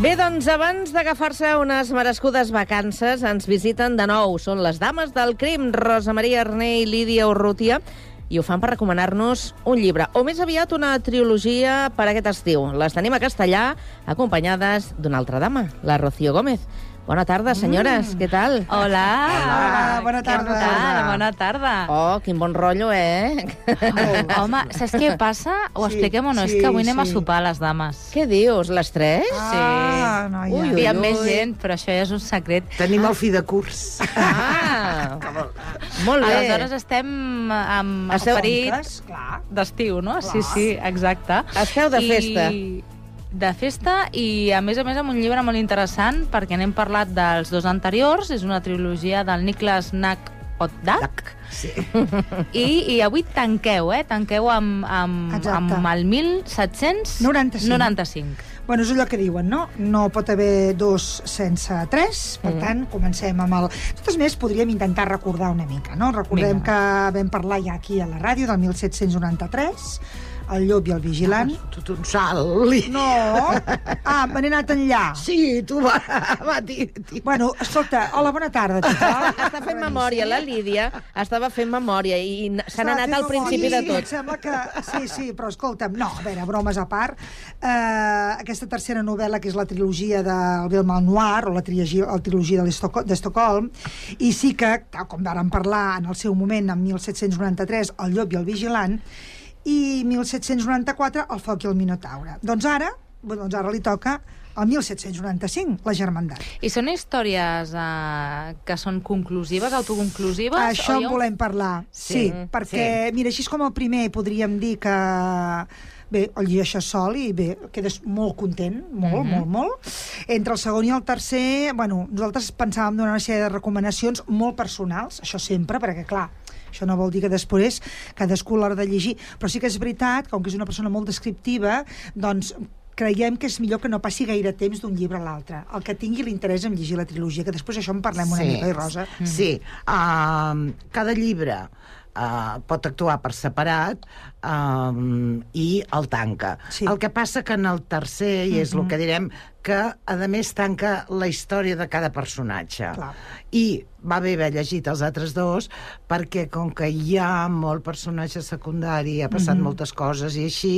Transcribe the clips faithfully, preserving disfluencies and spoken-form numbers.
Bé, doncs, abans d'agafar-se unes merescudes vacances, ens visiten de nou. Són les dames del crim, Rosa Maria Arné i Lídia Urrutia, i ho fan per recomanar-nos un llibre, o més aviat una trilogia per aquest estiu. Les tenim a castellà, acompanyades d'una altra dama, la Rocío Gómez. Bona tarda, senyores, mm. què tal? Hola. Hola, bona tarda. Què tal? Bona tarda. Oh, quin bon rotllo, eh? Oh, home, saps què passa? Ho Sí, expliquem o no? sí, És que avui anem sí. a sopar, les dames. Què dius, les tres? Ah, noia. Ui, ui, Hi ha ui. més gent, però això ja és un secret. Tenim el fi de curs. Ah, molt bé. Aleshores estem amb Esteu- esperit Clar. d'estiu, no? Sí, Clar. sí, exacte. Esteu de festa. I... De festa i, a més a més, amb un llibre molt interessant, perquè n'hem parlat dels dos anteriors. És una trilogia del Niklas Nack Oddak. Sí. I, I avui tanqueu, eh? Tanqueu amb, amb, Exacte. amb el mil set-cents noranta-cinc. noranta-cinc. Bueno, és allò que diuen, no? No pot haver dos sense tres, per Mm. tant, comencem amb el... De totes maneres, podríem intentar recordar una mica, no? Recordem Vinga. que vam parlar ja aquí a la ràdio del mil set-cents noranta-tres, El llop i el vigilant. Tot un salt. No! Ah, me n'he anat enllà. Sí, tu va, va dir. dir. Bueno, escolta, hola, bona tarda, tothom. Està fent memòria, la Lídia estava fent memòria i n- se n'ha anat al principi de Sí, tot. em sembla que... Sí, sí, però escolta'm, no, a veure, bromes a part, eh, aquesta tercera novel·la, que és la trilogia del Belmont Noir, o la trilogia, la trilogia de l'Estoco- d'Estocolm, i sí que, tal com vàrem parlar en el seu moment, en mil set-cents noranta-tres, El llop i el vigilant, i mil set-cents noranta-quatre, El foc i el minotaure. Doncs ara, doncs ara li toca el mil set-cents noranta-cinc, La germandat. I són històries eh, que són conclusives, autoconclusives? Això o en hi ha un- volem parlar, sí, Sí, perquè, mira, així és com el primer podríem dir que, bé, el llegeixes sol i bé, quedes molt content, molt, Mhm. molt, molt. Entre el segon i el tercer, bueno, nosaltres pensàvem donar una sèrie de recomanacions molt personals, això sempre, perquè, clar, això no vol dir que després cadascú a l'hora de llegir, però sí que és veritat, com que és una persona molt descriptiva, doncs creiem que és millor que no passi gaire temps d'un llibre a l'altre, el que tingui l'interès en llegir la trilogia, que després això en parlem una Sí. mica, i Rosa? Sí. Um, cada llibre uh, pot actuar per separat um, i el tanca. Sí. El que passa que en el tercer, i és el que direm, que a més tanca la història de cada personatge. Clar. I va bé haver llegit els altres dos perquè com que hi ha molt personatge secundari, ha passat moltes coses i així,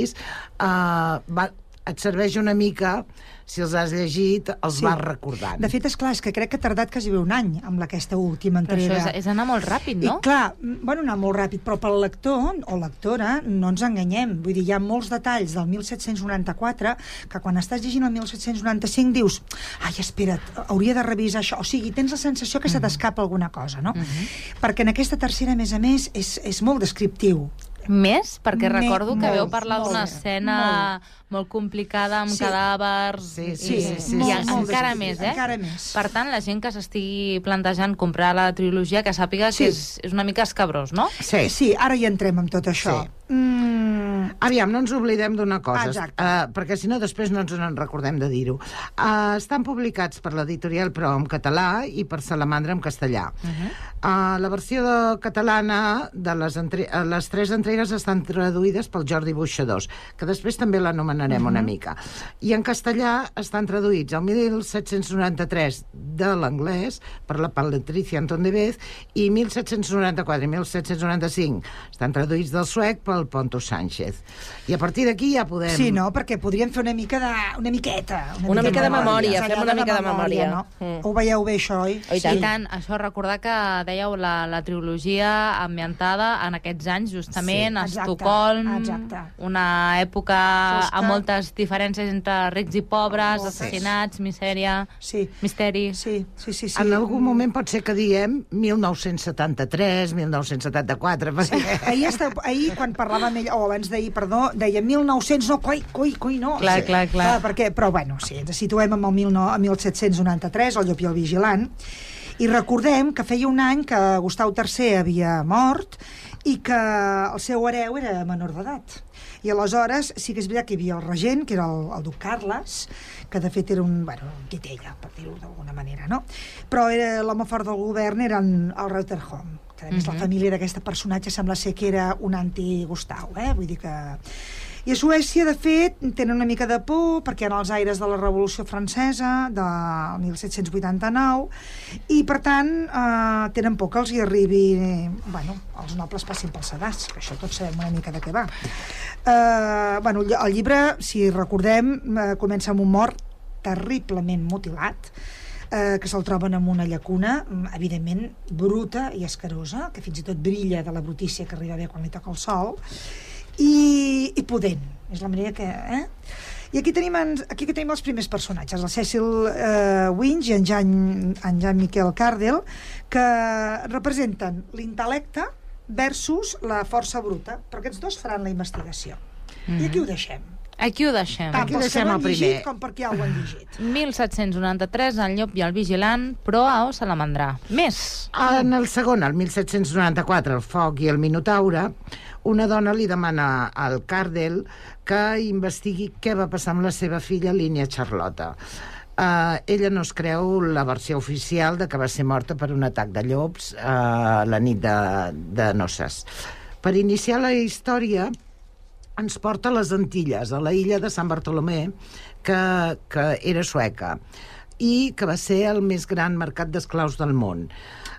uh, va, et serveix una mica, si els has llegit, els Sí. vas recordant. De fet, és clar, és que crec que ha tardat quasi bé un any amb aquesta última Però això entrega. és, és anar molt ràpid, no? I clar, m- bueno, anar molt ràpid, però pel lector o lectora no ens enganyem. Vull dir, hi ha molts detalls del mil set-cents noranta-quatre que quan estàs llegint el mil set-cents noranta-cinc dius, ai, espera't, hauria de revisar això. O sigui, tens la sensació que se t'escapa alguna cosa, no? Perquè en aquesta tercera, a més a més, és, és molt descriptiu. Més? Perquè Me- recordo que molt, veu parlar molt, d'una escena molt complicada, amb Sí. cadàvers... Sí, Sí, i, sí, sí, i molt, en- molt encara descriptiu, més, eh? encara més. Per tant, la gent que s'estigui plantejant comprar la trilogia, que sàpiga Sí. que és, és una mica escabrós, no? Sí. Sí, ara hi entrem amb tot això. Sí. Mm, Aviam, no ens oblidem d'una cosa, Exacte. uh, perquè si no després no ens en recordem de dir-ho. Uh, estan publicats per l'editorial Pro en català i per Salamandra en castellà. Uh -huh. uh, la versió de, catalana de les, entre, uh, les tres entregues estan traduïdes pel Jordi Buixadors, que després també l'anomenarem uh -huh. una mica. I en castellà estan traduïts el mil set-cents noranta-tres de l'anglès per la Patricia Antondevez i mil set-cents noranta-quatre i mil set-cents noranta-cinc estan traduïts del suec pel Ponto Sánchez. I a partir d'aquí ja podem... sí, no? Perquè podríem fer una mica de... una miqueta. Una mica de memòria, més fem enllà una mica de memòria. No? Mm. Ho veieu bé, això, oi? Oh, i I tant. tant, això, recordar que dèieu la, la trilogia ambientada en aquests anys, justament, Sí, a exacte, Estocolm, exacte. una època Fosca. amb moltes diferències entre rics i pobres, Moltes. assassinats, misèria, Sí. misteri... Sí, sí, sí. sí. En algun moment pot ser que diem mil nou-cents setanta-tres, mil nou-cents setanta-quatre, perquè... Ahir, està, ahir, quan parlàvem amb ell, o abans d'ahir, perdó, deia mil nou-cents, no, coi, coi, coi, no. Clar, Sí. clar, clar. Perquè, però, bueno, sí, ens situem amb el mil nou- a mil set-cents noranta-tres, El llop i el vigilant, i recordem que feia un any que Gustau tercer havia mort i que el seu hereu era menor d'edat. I aleshores sí que és veritat que hi havia el regent, que era el, el duc Carles, que de fet era un, bueno, un titella, per dir-ho d'alguna manera, no? Però era l'home fort del govern era en, el Reuterholm, que a més uh -huh. la família d'aquesta personatge sembla ser que era un anti-Gustau, eh? Vull dir que... I a Suècia, de fet, tenen una mica de por perquè hi ha els aires de la Revolució Francesa del mil set-cents vuitanta-nou i, per tant, eh, tenen por que els hi arribi... Bueno, els nobles passin pel sedàs, que això tots sabem una mica de què va. Eh, bueno, el llibre, si recordem, eh, comença amb un mort terriblement mutilat, eh, que se'l troben en una llacuna, evidentment bruta i escarosa, que fins i tot brilla de la brutícia que arriba a veure quan li toca el sol, i, i pudent. És la manera que... Eh? I aquí tenim, aquí tenim els primers personatges, el Cecil eh, Winch i en Jean, en Jean Michel Cardel, que representen l'intel·lecte versus la força bruta, però aquests dos faran la investigació. Mm-hmm. I aquí ho deixem. Aquí ho deixem. Tant pels que l'han llegit com perquè ja ho han llegit. mil set-cents noranta-tres, El llop i el vigilant, proa o salamandrà. Més. En el segon, el mil set-cents noranta-quatre, El foc i el minotaure, una dona li demana al Cardel que investigui què va passar amb la seva filla, Línia Charlotta. Uh, ella no es creu la versió oficial de que va ser morta per un atac de llops uh, la nit de, de noces. Per iniciar la història ens porta a les Antilles, a la illa de Sant Bartolomé, que, que era sueca, i que va ser el més gran mercat d'esclaus del món.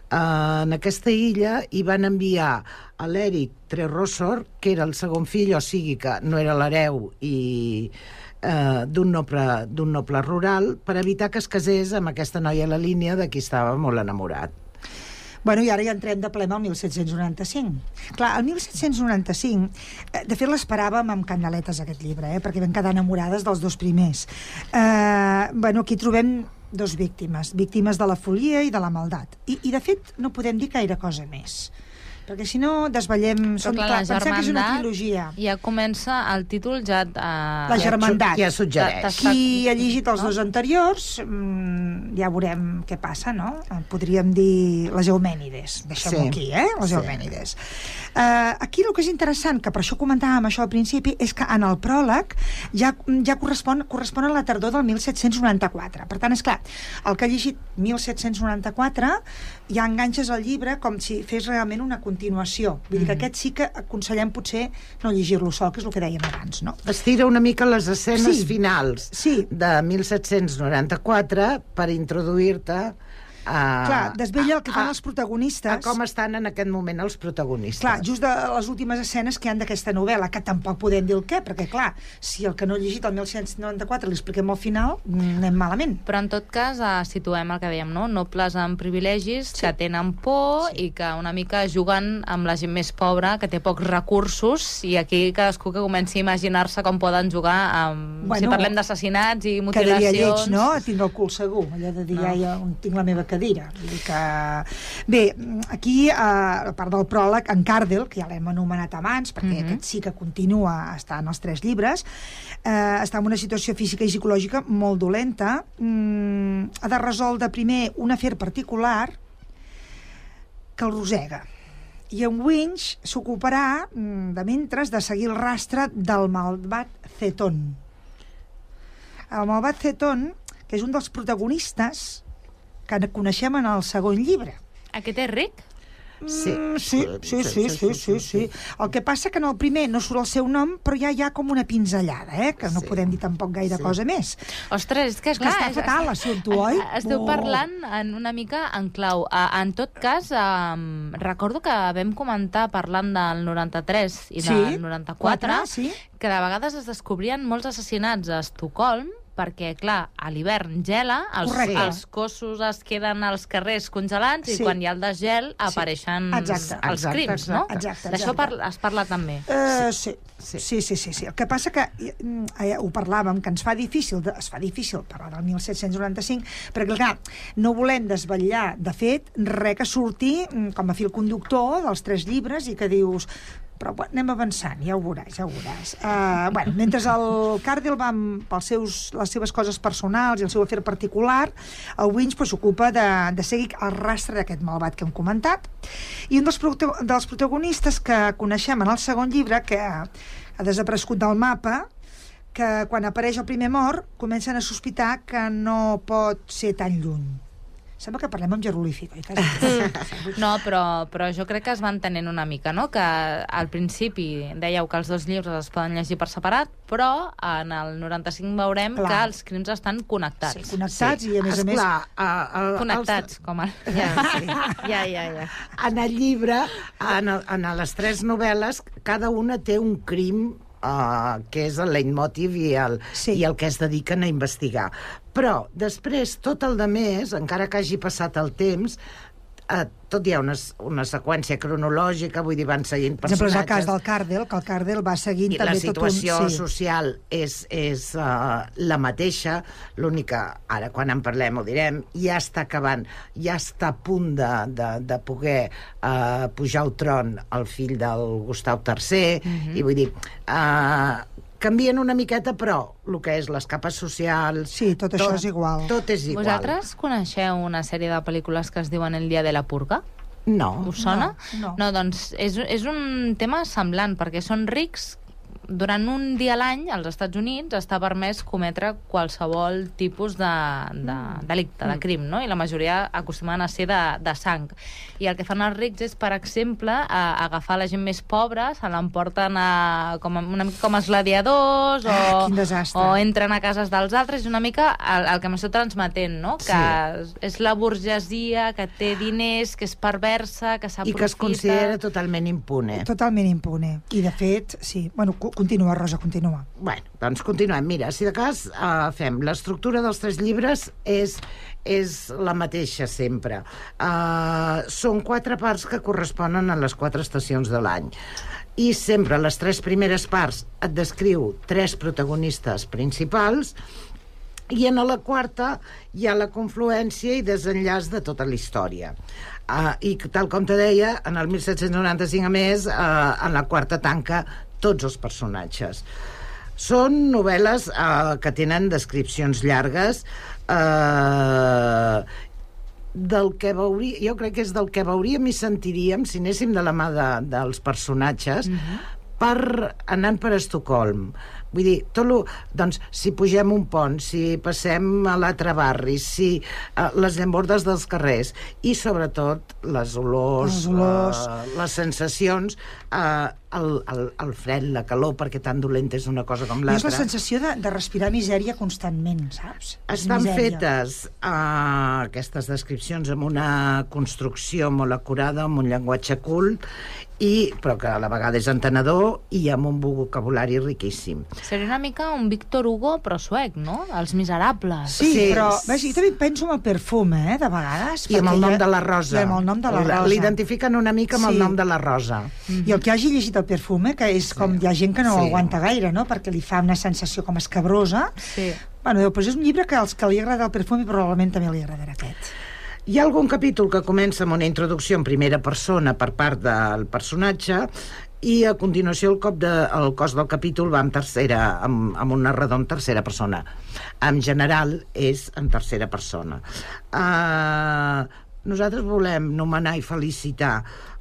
Uh, en aquesta illa hi van enviar a l'Eric Trerossor, que era el segon fill, o sigui que no era l'hereu i uh, d'un noble, d'un noble rural, per evitar que es casés amb aquesta noia a la línia de qui estava molt enamorat. Bueno, i ara ja entrem de ple al mil set-cents noranta-cinc. Clar, el mil set-cents noranta-cinc, de fet l'esperàvem amb candeletes aquest llibre, eh, perquè vam quedar enamorades dels dos primers. Eh, bueno, aquí trobem dos víctimes, víctimes de la folia i de la maldat. I, i de fet, no podem dir gaire cosa més. Perquè si no desvetllem... Però clar, la pensem que és una trilogia. Ja comença el títol ja... Uh, la germandat. Ja suggereix. Qui ha llegit els dos anteriors, mmm, ja veurem què passa, no? Podríem dir les Eumènides. Deixem-ho sí. aquí, eh? Les Eumènides. Sí. Uh, aquí el que és interessant, que per això comentàvem això al principi, és que en el pròleg ja, ja correspon, correspon a la tardor del mil set-cents noranta-quatre. Per tant, és clar, el que ha llegit mil set-cents noranta-quatre ja enganxes el llibre com si fes realment una continuació. Vull dir que aquest sí que aconsellem potser no llegir-lo sol, que és el que dèiem abans, no? Estira una mica les escenes sí. finals sí. de mil set-cents noranta-quatre per introduir-te a... Clar, desvella el que fan a, els protagonistes. A com estan en aquest moment els protagonistes. Clar, just de les últimes escenes que hi ha d'aquesta novel·la, que tampoc podem dir el què, perquè clar, si el que no ha llegit el mil set-cents noranta-quatre li expliquem al final, anem malament. Però en tot cas eh, situem el que dèiem, no? Nobles amb privilegis sí. que tenen por sí. i que una mica juguen amb la gent més pobra, que té pocs recursos, i aquí cadascú que comenci a imaginar-se com poden jugar amb... Bueno, si parlem d'assassinats i mutilacions... Quedaria lleig, no? Tinc el cul segur, allò de dir, no. ja, ja tinc la meva cadira. Vull dir que... Bé, aquí, a part del pròleg, en Cardel, que ja l'hem anomenat abans, perquè mm-hmm. aquest sí que continua, està en els tres llibres, eh, està en una situació física i psicològica molt dolenta, mm, ha de resoldre primer un afer particular que el rosega. I en Winch s'ocuparà, de mentres, de seguir el rastre del malvat Cetón. El malvat Cetón, que és un dels protagonistes que coneixem en el segon llibre. Aquest és ric? Sí. Mm, sí, sí, sí, sí, sí, sí. El que passa que en el primer no surt el seu nom, però ja hi ha com una pinzellada, eh? Que no sí. podem dir tampoc gaire sí. cosa més. Ostres, és que és clar... Que està fatal, l'assumpte, oi? Esteu oh. parlant en una mica en clau. En tot cas, um, recordo que vam comentar parlant del noranta-tres i del sí. noranta-quatre, sí. que de vegades es descobrien molts assassinats a Estocolm, perquè, clar, a l'hivern gela, els, els cossos es queden als carrers congelats sí. i quan hi ha el desgel sí. apareixen exacte, els exacte, crims, exacte, no? Exacte, D'això par es parla també. Uh, sí. Sí. Sí, sí, sí, sí. El que passa que eh, ho parlàvem, que ens fa difícil, de, es fa difícil parlar del mil set-cents noranta-cinc, perquè, clar, no volem desvetllar, de fet, res que surti com a fil conductor dels tres llibres i que dius... Però bueno, anem avançant, ja ho veuràs, ja ho veuràs. Uh, bueno, mentre el Cardel va amb pels seus, les seves coses personals i el seu afer particular, el Winch s'ocupa pues, de, de seguir el rastre d'aquest malvat que hem comentat. I un dels, dels protagonistes que coneixem en el segon llibre, que ha desaparegut del mapa, que quan apareix el primer mort comencen a sospitar que no pot ser tan lluny. Sembla que parlem amb jeroglífic, oi? No, però, però jo crec que es van tenint una mica, no? Que al principi dèieu que els dos llibres es poden llegir per separat, però en el noranta-cinc veurem Clar. que els crims estan connectats. Sí, connectats sí. i, a més a més... Esclar, a, a, connectats, els... com el... Ja, sí. ja, ja, ja. En el llibre, en, el, en les tres novel·les, cada una té un crim Uh, que és el leitmotiv i el, sí. i el que es dediquen a investigar. Però després, tot el de més, encara que hagi passat el temps, Uh, tot hi ha una, una seqüència cronològica, vull dir, van seguint personatges. Per exemple, és el cas del Cardell, que el Cardell va seguint I també tot un... La situació sí. social és, és uh, la mateixa, l'única, ara quan en parlem ho direm, ja està acabant, ja està a punt de, de, de poder uh, pujar al tron el fill del Gustau tercer, mm-hmm. i vull dir... Uh, canvien una miqueta, però el que és les capes socials... Sí, tot, tot això és igual. Tot és igual. Vosaltres coneixeu una sèrie de pel·lícules que es diuen El dia de la purga? No. Us sona? No. No, doncs és, és un tema semblant, perquè són rics. Durant un dia a l'any, als Estats Units, està permès cometre qualsevol tipus de, de delicte, de crim, no? I la majoria acostumen a ser de, de sang. I el que fan els rics és, per exemple, a, a agafar la gent més pobra, se l'emporten a, com, una mica com els gladiadors, o, ah, quin desastre. o entren a cases dels altres. És una mica el, el que m'esteu transmetent, no? Que sí. és la burgesia que té diners, que és perversa, que s'aprofita... I que es considera totalment impune. Totalment impune. I, de fet, sí... Bueno, continua, Rosa, continua. Bueno, doncs continuem. Mira, si de cas uh, fem... L'estructura dels tres llibres és, és la mateixa sempre. Uh, són quatre parts que corresponen a les quatre estacions de l'any. I sempre les tres primeres parts et descriu tres protagonistes principals i en la quarta hi ha la confluència i desenllaç de tota la història. Uh, I tal com te deia, en el disset noranta-cinc, a més, uh, en la quarta tanca tots els personatges. Són novel·les uh, que tenen descripcions llargues, uh, del que veuria, jo crec que és del que veuríem i sentiríem si anéssim de la mà de, dels personatges, mm-hmm. per, anant per Estocolm. Vull dir, tot lo, doncs, si pugem un pont, si passem a l'altre barri, si uh, les llambordes dels carrers i, sobretot, les olors, les, olors. Uh, les sensacions, uh, el, el, el fred, la calor, perquè tan dolenta és una cosa com l'altra. És la sensació de, de respirar misèria constantment, saps? Estan fetes uh, aquestes descripcions amb una construcció molt acurada, amb un llenguatge cult, i, però que a la vegada és entenedor i amb un vocabulari riquíssim. Seria una mica un Víctor Hugo, però suec, no? Els Miserables. Sí, sí, però ves, jo també penso en el perfume, eh, de vegades. I amb el nom ja... de la Rosa. I amb el nom de la Rosa. L'identifiquen una mica amb sí. el nom de la Rosa. Mm-hmm. I el que hagi llegit el perfume, que és com sí. hi ha gent que no sí. aguanta gaire, no?, perquè li fa una sensació com escabrosa. Sí. Bueno, doncs és un llibre que als que li agrada el perfume probablement també li agradarà aquest. Hi ha algun capítol que comença amb una introducció en primera persona per part del personatge i a continuació el, cop de, el cos del capítol va en tercera, amb, amb un narrador en tercera persona. En general és en tercera persona. Uh, nosaltres volem nomenar i felicitar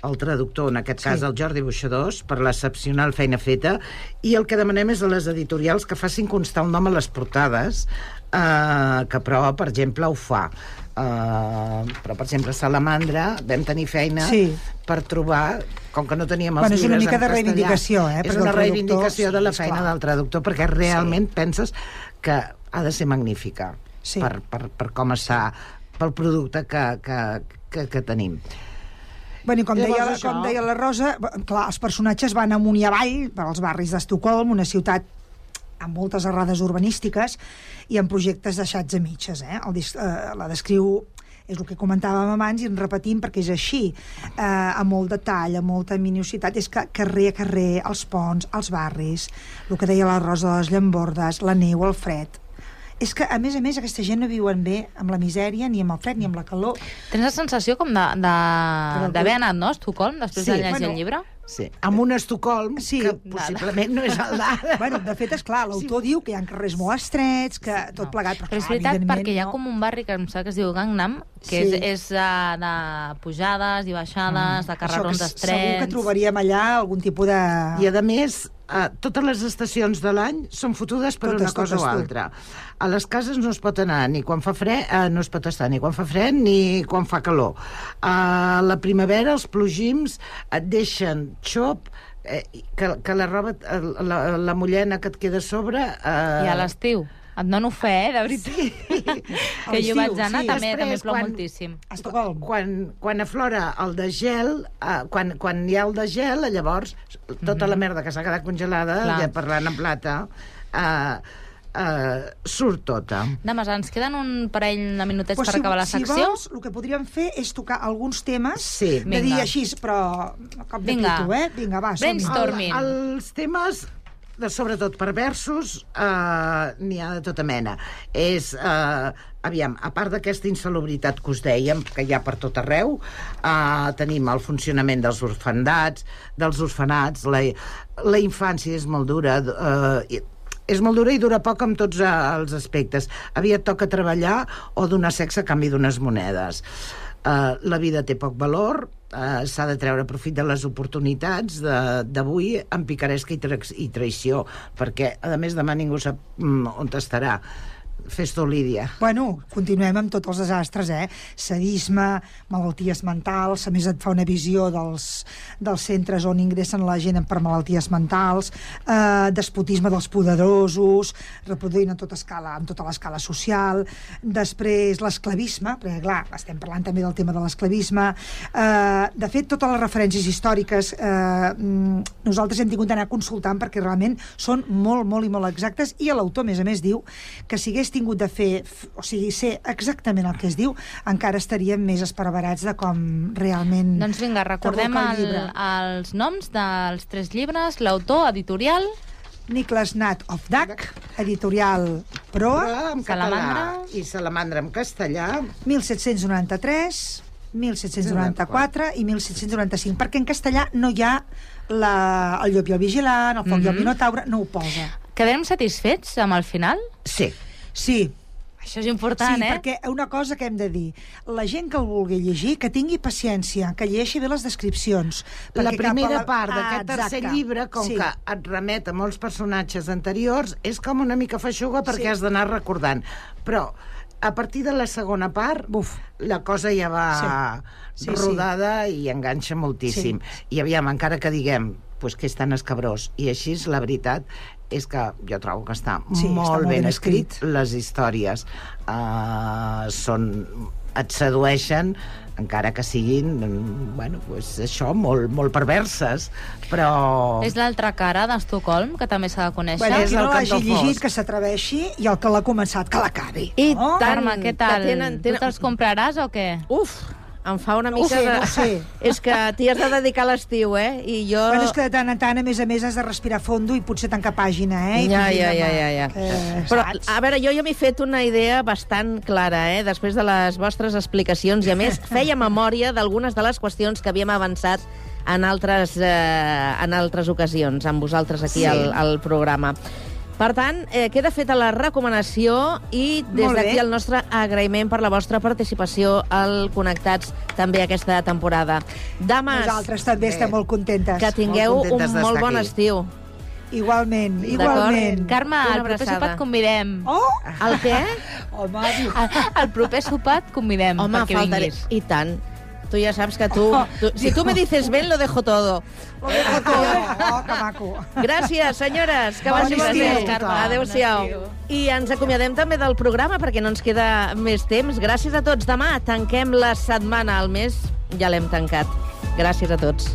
el traductor, en aquest cas sí. el Jordi Boixadors, per l'excepcional feina feta, i el que demanem és a les editorials que facin constar el nom a les portades, uh, que però, per exemple, ho fa. Uh, però, per exemple, a Salamandra vam tenir feina sí. per trobar, com que no teníem els bueno, llibres en castellà. És una mica de reivindicació, eh? És una reivindicació de la sí, feina esclar. del traductor, perquè realment sí. penses que ha de ser magnífica sí. per, per, per com està, pel producte que, que, que, que tenim. Bueno, i com, Llavors, deia, això... com deia la Rosa, clar, els personatges van amunt i avall per als barris d'Estocolm, una ciutat amb moltes errades urbanístiques i amb projectes deixats a mitges. Eh? El, eh, la descriu, és el que comentàvem abans i en repetim perquè és així, eh, amb molt detall, amb molta minucitat, és que carrer a carrer, els ponts, els barris, el que deia la Rosa de les llambordes, la neu, el fred. És que, a més a més, aquesta gent no viuen bé amb la misèria, ni amb el fred, ni amb la calor. Tens la sensació com d'haver anat, no, a Estocolm, després sí, de llegir bueno, el llibre? Sí, amb un Estocolm, Sí. que possiblement no és el d'ara. Bueno, de fet, és clar, l'autor diu que hi ha carrers molt estrets, que tot plegat, però, Però és clar, veritat, evidentment, perquè hi ha no. com un barri que em sembla que es diu Gangnam, que Sí. és, és uh, de pujades i baixades, de Això carrerons que estrets... segur que trobaríem allà algun tipus de... I, a més, eh, totes les estacions de l'any són fotudes per Totes, una cosa totes, o tu. altra. A les cases no es pot anar ni quan fa fred, eh, no es pot estar ni quan fa fred ni quan fa calor. A la primavera els plogims et deixen xop, eh, que, que la roba, eh, la, la mullena que et queda a sobre... Eh, I a l'estiu. Et dono fe, eh, de veritat. Sí. Que jo l'estiu, vaig anar, sí. també, Després, també plou quan- moltíssim. A Estocolm. Quan, quan aflora el de gel, eh, quan, quan hi ha el de gel, llavors tota la merda que s'ha quedat congelada, Clar. ja parlant en plata, eh, eh, surt tota. Dames, ens queden un parell de minutets Pues per acabar la si secció. vols, el que podríem fer és tocar alguns temes Sí. de dir Vinga. així, però a cop de Vinga. pito, eh? Vinga, va, som-hi. Brainstorm. Storming. El, els temes de, sobretot perversos, eh, n'hi ha de tota mena. És, eh, aviam, a part d'aquesta insalubritat que us dèiem, que hi ha per tot arreu, eh, tenim el funcionament dels orfandats, dels orfenats, la, la infància és molt dura, eh, és molt dura i dura poc en tots els aspectes. Aviat toca treballar o donar sexe a canvi d'unes monedes. Uh, la vida té poc valor, uh, s'ha de treure profit de les oportunitats d'avui amb picaresca i, tra i traïció, perquè, a més, demà ningú sap mm, on estarà. Fes tu, Lídia. Bueno, continuem amb tots els desastres, eh? Sadisme, malalties mentals, a més et fa una visió dels, dels centres on ingressen la gent per malalties mentals, eh, despotisme dels poderosos, reproduint en tota escala, en tota l'escala social, després l'esclavisme, perquè clar, estem parlant també del tema de l'esclavisme, eh, de fet, totes les referències històriques eh, nosaltres hem tingut d'anar consultant perquè realment són molt, molt i molt exactes, i l'autor, a més a més, diu que si hagués tingut de fer, o sigui, ser exactament el que es diu, encara estaríem més esparverats de com realment... Doncs vinga, recordem t'evoca el el, llibre. els noms dels tres llibres, l'autor, editorial... Niklas Nat of Duck, editorial Proa, Però en Salamandra. català i Salamandra en castellà. mil set-cents noranta-tres, mil set-cents noranta-quatre i mil set-cents noranta-cinc, perquè en castellà no hi ha la, el llop i el vigilant, el foc i el minotaure, no ho posa. Quedarem satisfets amb el final? Sí. Sí, Això és important, sí, eh? perquè una cosa que hem de dir, la gent que el vulgui llegir, que tingui paciència, que llegeixi bé les descripcions. La perquè cap a primera la- part Ah, d'aquest tercer exacte. llibre, com Sí. que et remet a molts personatges anteriors, és com una mica feixuga perquè Sí. has d'anar recordant. Però a partir de la segona part, Buf. la cosa ja va Sí. Sí, rodada i enganxa moltíssim. I aviam, encara que diguem pues, que és tan escabrós, i així la veritat és que jo trobo que està Sí, molt, està molt ben ben escrit. escrit. Les històries uh, són, et sedueixen, encara que siguin, mm, bueno, pues això, molt, molt perverses, però... És l'altra cara d'Estocolm, que també s'ha de conèixer. Bueno, és qui no el l'hagi cantó llegit, fosc. que s'atreveixi, i el que l'ha començat, que l'acabi. I no? tant, Carme, què tal? que tenen- tenen- Tu te'ls compraràs o què? Uf, em fa una No ho mica sé, de... no ho sé. És que t'hi has de dedicar a l'estiu, eh? I jo... Bueno, és que de tant en tant, a més a més, has de respirar fondo i potser tancar pàgina, eh? I Ja, dir, ja, ja, home, ja, ja. que, Però, saps? a veure, jo ja m'he fet una idea bastant clara, eh? Després de les vostres explicacions, i a més feia memòria d'algunes de les qüestions que havíem avançat en altres, eh, en altres ocasions, amb vosaltres aquí Sí. al, al programa. Per tant, eh, queda feta la recomanació i des Molt bé. d'aquí el nostre agraïment per la vostra participació al Connectats també aquesta temporada. Dames, Nosaltres també Bé. estem molt contentes. que tingueu Molt contentes un molt d'estar bon aquí. estiu. Igualment, D'acord. igualment. Carme, Una al proper abraçada. sopar et convidem. Oh! El què? Home, diu... Al, al proper sopar et convidem Home, perquè faltaré... vinguis. I tant. Tu ja saps que tu... tu si tu me dices ben, lo dejo todo. Lo dejo todo. Oh, que maco. Gràcies, senyores. Que Bon vagi molt estiu, bé. Carme. Adéu-siau. Bon estiu. I ens acomiadem també del programa perquè no ens queda més temps. Gràcies a tots. Demà tanquem la setmana. El mes ja l'hem tancat. Gràcies a tots.